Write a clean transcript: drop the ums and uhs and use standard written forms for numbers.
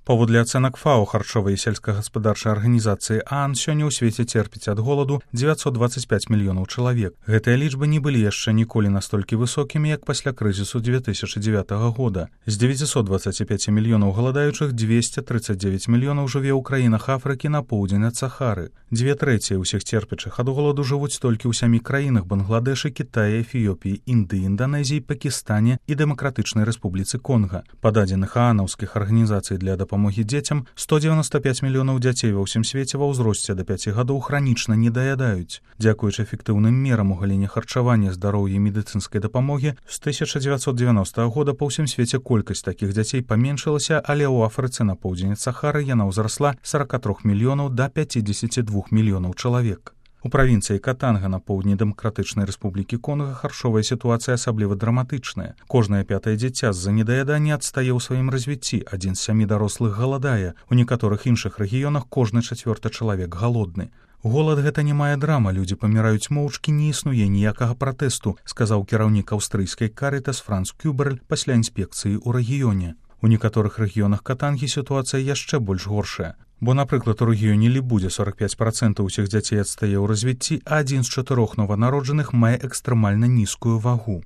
Паводле ацэнак ФАО харчовай і сельскагаспадарчай арганізацыі ААН сёння ў свеце церпіць ад голаду 925 мільёнаў чалавек. Гэтыя лічбы не былі яшчэ ніколі настолькі высокімі, як пасля крызісу 2009 года. З 925 мільёнаў галадаючых 239 мільёнаў жыве ў краінах Афрыкі на поўдзень ад Сахары. 2/3 ўсіх церпячых ад голаду жывуць толькі ў 7 краінах: Бангладэшы, Кітаі, Эфіёпіі, Індыі, Інданезіі, Пакістане і Дэмакратычнай Рэспубліцы Конга. Па дадзеных аанаўскіх арганізацый для дапамогі дзецям, 195 мільёнаў дзяцей ва ўсім свеце ва ўзросце да 5 гадоў хранічна недаядаюць. Дзякуючы эфектыўным мерам у галіне харчавання, здароўя і медыцынскай дапамогі, з 1990 года па ўсім свеце колькасць такіх дзяцей паменшылася, але ў Афрыцы на поўдзень ад Сахары яна ўзрасла з 43 мільёнаў да 52 мільёнаў чалавек. У правінцыі Катанга на поўдні Дэмакратычнай Рэспублікі Конга харчовая сітуацыя асабліва драматычная. Кожнае 5-е дзіця з-за недаядання адстае ў сваім развіцці, 1 з 7 дарослых галадае. У некаторых іншых рэгіёнах кожны 4-ты чалавек галодны. Голад — гэта не мая драма, людзі паміраюць моўчкі, не існуе ніякага пратэсту, сказаў кіраўнік аўстрыйскай Карытас Франц Кюберль пасля інспекцыі ў рэгіёне. У некаторых рэгіёнах Катангі сітуацыя яшчэ больш горшая. Бо, напрыклад, у рэгіёне Лібудзе 45% усіх дзяцей адстае ў развіцці, а 1 з 4 нованароджаных мае экстрэмальна нізкую вагу.